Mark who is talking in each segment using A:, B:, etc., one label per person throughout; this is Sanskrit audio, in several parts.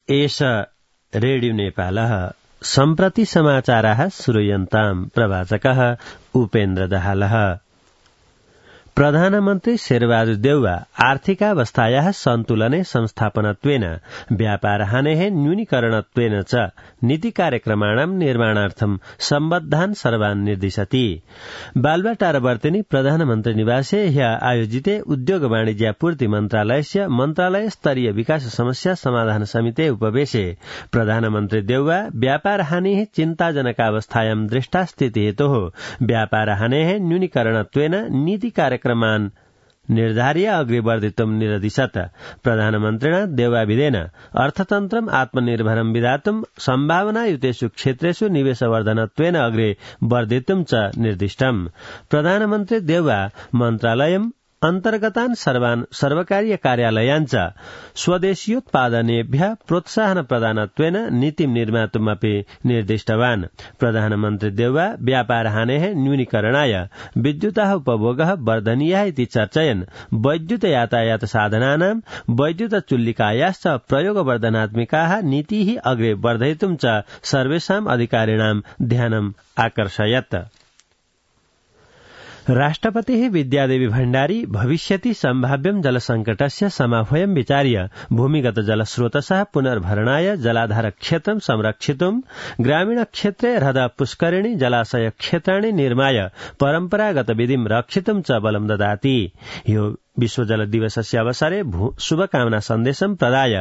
A: एष रेडियो नेपालः सम्प्रति समाचाराः श्रूयन्ताम् प्रवाचकः उपेन्द्र दाहालः। प्रधानमन्त्री शेरबहादुर देउवा आर्थिकावस्थायाः सन्तुलने संस्थापनत्वेन व्यापारहानेः न्यूनीकरणत्वेन च नीतिकार्यक्रमाणां निर्माणार्थं सम्बद्धान् सर्वान् निर्दिशति। बालुवाटारवर्तिनी प्रधानमन्त्री निवासे ह्यः आयोजिते उद्योग वाणिज्यापूर्ति मन्त्रालयस्य मन्त्रालय स्तरीय विकास समस्या समाधान समिते उपवेशे प्रधानमन्त्री देउवा व्यापारहानेः चिन्ताजनकावस्थायां दृष्टा स्थितिहेतोः व्यापारहानेः न्यूनीकरणत्वेन नीतिकार्यक्रमान् निर्धार्य अग्रे वर्धितुं निरदिशत्। प्रधानमन्त्रिणा देउवाविदेन अर्थतन्त्रम् आत्मनिर्भरं विधातुं सम्भावनायुतेषु क्षेत्रेषु निवेशवर्धनत्वेन अग्रे वर्धितुं च निर्दिष्टम्। प्रधानमन्त्री देउवा मन्त्रालयम् अन्तर्गतान् सर्वान् सर्वकारीय कार्यालयान् च स्वदेशीयोत्पादनेभ्यः प्रोत्साहन प्रदानत्वेन नीतिं निर्मातुमपि निर्दिष्टवान्। प्रधानमन्त्री देउवा व्यापारहानेः न्यूनीकरणाय विद्युतः उपभोगः वर्धनीयः इति चर्चयन् वैद्युत यातायात साधनानां वैद्युत चुल्लिकायाश्च प्रयोगवर्धनात्मिकाः नीतिः अग्रे वर्धयितुं च सर्वेषाम् अधिकारिणां ध्यानम् आकर्षयत्। राष्ट्रपतिः विद्यादेवी भण्डारी भविष्यति सम्भाव्यं जलसंकटस्य समाह्वयं विचार्य भूमिगत जलस्रोतसः पुनर्भरणाय जलाधार क्षेत्रं संरक्षितुं ग्रामीण क्षेत्रे ह्रद पुष्करिणी जलाशय क्षेत्राणि निर्माय परम्परागत विधिं रक्षितुं च बलं ददाति। यो विश्व जल दिवसस्य अवसरे शुभकामना सन्देशं प्रदाय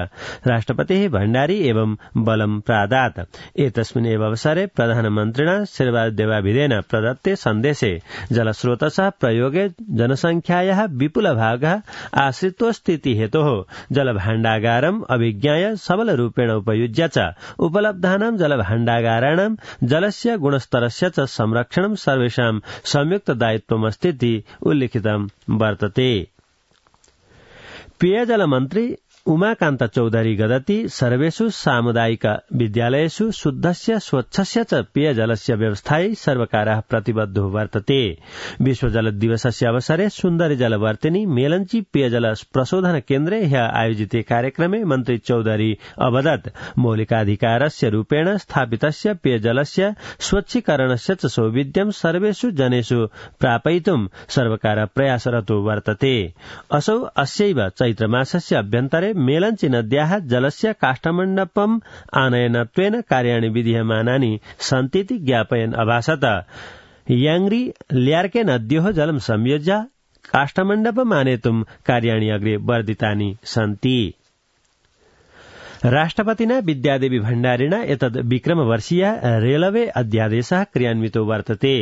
A: राष्ट्रपतिः भण्डारी एवं बलं प्रादात्। एतस्मिन् एव अवसरे प्रधानमन्त्रिणा शेरबहादुर देउवाविदेन प्रदत्ते सन्देशे जलस्रोतसः प्रयोगे जनसंख्यायाः विपुलभागः आश्रितोऽस्तीति हेतोः जलभाण्डागारम् अभिज्ञाय सबलरूपेण उपयुज्य च उपलब्धानां जलभाण्डागाराणां जलस्य गुणस्तरस्य च संरक्षणं सर्वेषां संयुक्त दायित्वमस्तीति उल्लिखितं वर्तते। पेयजल मन्त्री उमाकान्त चौधरी गदति सर्वेषु सामुदायिक विद्यालयेषु शुद्धस्य स्वच्छस्य च पेयजलस्य व्यवस्थायै सर्वकारः प्रतिबद्धो वर्तते। विश्व जल दिवसस्य अवसरे सुन्दरी जलवर्तिनी मेलंची पेयजल प्रशोधन केन्द्रे ह्यः आयोजिते कार्यक्रमे मन्त्री चौधरी अवदत् मौलिकाधिकारस्य रूपेण स्थापितस्य पेयजलस्य स्वच्छीकरणस्य च सौविध्यं सर्वेषु जनेषु प्रापयितुं सर्वकारः प्रयासरतो वर्तते। असौ अस्यैव चैत्रमासस्य अभ्यन्तरे मेलंची नद्याः जलस्य काष्ठमण्डपम् आनयनत्वेन कार्याणि विधीयमानानि सन्तीति ज्ञापयन् अभासत। याङ्ग्री ल्यार्के नद्योः जलं संयोज्य काष्ठमण्डपम् आनेतुं कार्याणि अग्रे वर्धितानि सन्ति। राष्ट्रपतिना विद्यादेवी भण्डारिणा एतद् विक्रमवर्षीय रेलवे अध्यादेशः क्रियान्वितो वर्तते।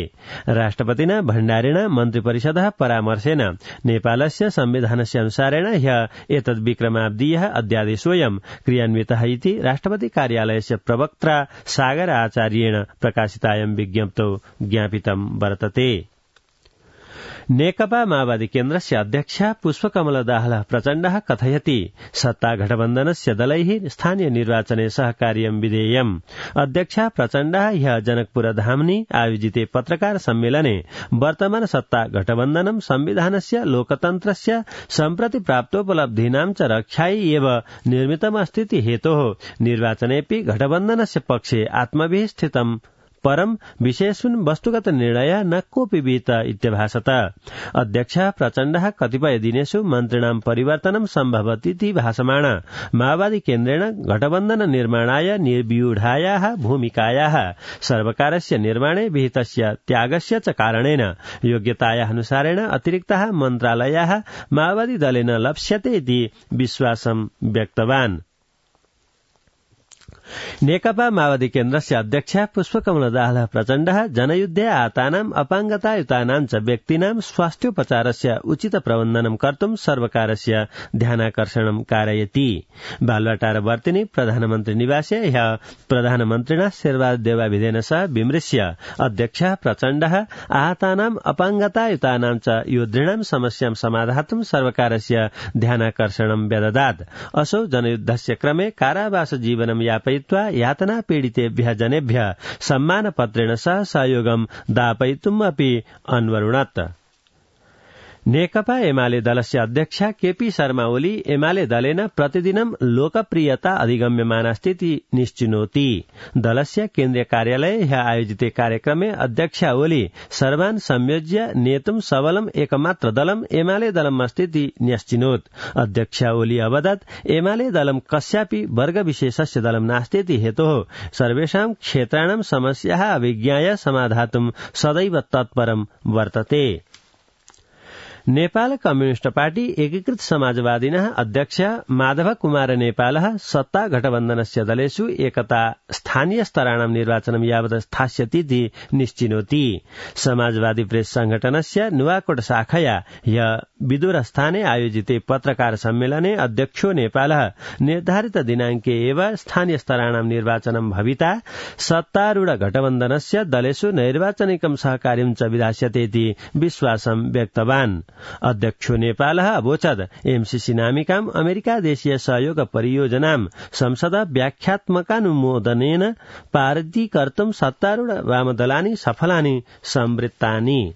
A: राष्ट्रपतिना भण्डारिणा मन्त्रिपरिषदः परामर्शेन नेपालस्य संविधानस्य अनुसारेण ह्यः एतद् विक्रमाब्दीयः अध्यादेशोऽयं क्रियान्वितः इति राष्ट्रपति कार्यालयस्य प्रवक्त्रा सागर आचार्येण प्रकाशितायां विज्ञप्तौ ज्ञापितं वर्तते। नेकपा माओवादी केन्द्रस्य अध्यक्षा पुष्पकमल दाहाल प्रचण्डः कथयति सत्तागठबन्धनस्य दलैः स्थानीय निर्वाचने सहकार्यं विधेयम्। अध्यक्षा प्रचण्डः ह्यः जनकपुरधाम्नि आयोजिते पत्रकार सम्मेलने वर्तमान सत्तागठबन्धनं संविधानस्य लोकतन्त्रस्य सम्प्रति प्राप्तोपलब्धीनां च रक्षायै एव निर्मितमस्तीति हेतोः निर्वाचनेऽपि गठबन्धनस्य पक्षे आत्मभिः स्थितं परं विषयेऽस्मिन् वस्तुगत निर्णयः न कोऽपि विहित इत्यभासत। अध्यक्षः प्रचण्डः कतिपय दिनेषु मन्त्रिणां परिवर्तनं सम्भवतीति भासमाण माओवादी केन्द्रेण गठबन्धन निर्माणाय निर्व्यूढायाः भूमिकायाः सर्वकारस्य निर्माणे विहितस्य त्यागस्य च कारणेन योग्यतायाः अनुसारेण अतिरिक्ताः मन्त्रालयाः माओवादी दलेन लप्स्यते इति विश्वासं व्यक्तवान्। नेकपा माओवादी केन्द्रस्य अध्यक्ष पुष्पकमल दाहाल प्रचण्डः जनयुद्धे आतानाम् अपाङ्गतायुतानां च व्यक्तीनां स्वास्थ्योपचारस्य उचित प्रबन्धनं कर्तुं सर्वकारस्य ध्यानाकर्षणं कारयति। बालुवाटारवर्तिनी प्रधानमन्त्री निवासे ह्यः प्रधानमन्त्रिणा शेरबहादुर देउवाविदेन सह विमृश्य अध्यक्षः प्रचण्डः आहतानाम् अपाङ्गतायुतानां च योद्धॄणां समस्यां समाधातुं सर्वकारस्य ध्यानाकर्षणं व्यददात्। असौ जनयुद्धस्य क्रमे कारावास जीवनं यापयित्वा यातना पीडितेभ्यः जनेभ्यः सम्मानपत्रेण सह सहयोगं दापयितुम् अपि अन्वरुणत्। नेकपा एमाले दलस्य अध्यक्ष केपी शर्मा ओली एमाले दलेन प्रतिदिनं लोकप्रियता अधिगम्यमानास्तीति निश्चिनोति। दलस्य केन्द्रीय कार्यालये ह्य आयोजिते कार्यक्रमे अध्यक्ष ओली सर्वान् संयोज्य नेतुं सबलम् एकमात्र दलम् एमाले दलम् अस्तीति न्यश्चिनोत्। अध्यक्ष ओली अवदत् एमाले दलम् कस्यापि वर्गविशेषस्य दलम् नास्तीति हेतोः सर्वेषां क्षेत्राणां समस्याः अभिज्ञाय समाधातुं सदैव तत्परं वर्तते। नेपाल कम्युनिष्ट पार्टी एकीकृत समाजवादिनः अध्यक्ष माधव कुमार नेपालः सत्ता गठबन्धनस्य दलेषु एकता स्थानीय स्तराणां निर्वाचनं यावत् स्थास्यतीति निश्चिनोति। समाजवादी प्रेस संघटनस्य नुवाकोट शाखया ह्य विदुरस्थाने आयोजिते पत्रकार सम्मेलने अध्यक्षो नेपालः निर्धारित दिनाङ्के एव स्थानीय स्तराणां निर्वाचनं भविता सत्तारूढ गठबन्धनस्य दलेषु नैर्वाचनिकं सहकार्यं च विधास्यतेति विश्वासं व्यक्तवान्। अध्यक्षो नेपालः अवोचत् एमसीसी नामिकाम् अमेरिका देशीय सहयोग परियोजनां संसद व्याख्यात्मकानुमोदनेन पारितीकर्तुं सत्तारूढ वामदलानि सफलानि संवृत्तानि।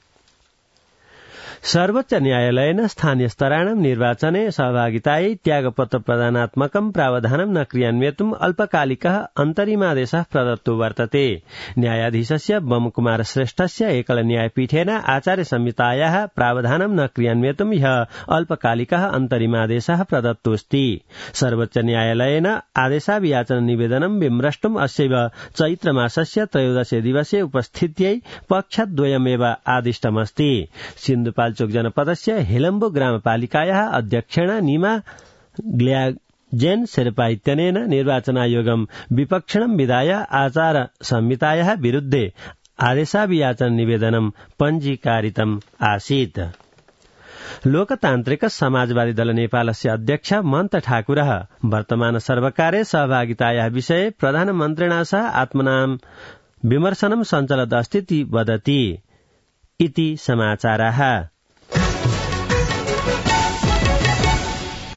A: सर्वोच्च न्यायालयेन स्थानीय स्तराणां निर्वाचने सहभागितायै त्यागपत्र प्रदानात्मकं प्रावधानं न क्रियान्वेतुम् अल्पकालिकः अन्तरिमादेशः प्रदत्तो वर्तते। न्यायाधीशस्य बमकुमार श्रेष्ठस्य एकल न्यायपीठेन आचार्य संहितायाः प्रावधानं न क्रियान्वेतुं ह्यः अल्पकालिकः अन्तरिमादेशः प्रदत्तोऽस्ति। सर्वोच्च न्यायालयेन आदेशाभियाचन निवेदनं विमृष्टुम् अस्यैव चैत्रमासस्य 13 दिवसे उपस्थित्यै पक्षद्वयमेव आदिष्टमस्ति। सिन्धुपाल्चोक जनपदस्य हेलम्बो ग्रामपालिकायाः अध्यक्षेण नीमा ग्ल्याजेन शेर्पा इत्यनेन निर्वाचनायोगं विपक्षिणं विधाय आचार संहितायाः विरुद्धे आदेशाभियाचन निवेदनं पञ्जीकारितम् आसीत्। लोकतान्त्रिक समाजवादी दल नेपालस्य अध्यक्ष मन्त ठाकुरः वर्तमान सर्वकारे सहभागितायाः विषये प्रधानमन्त्रिणा सह आत्मनां विमर्शनं सञ्चलत् अस्तीति वदति इति समाचाराः।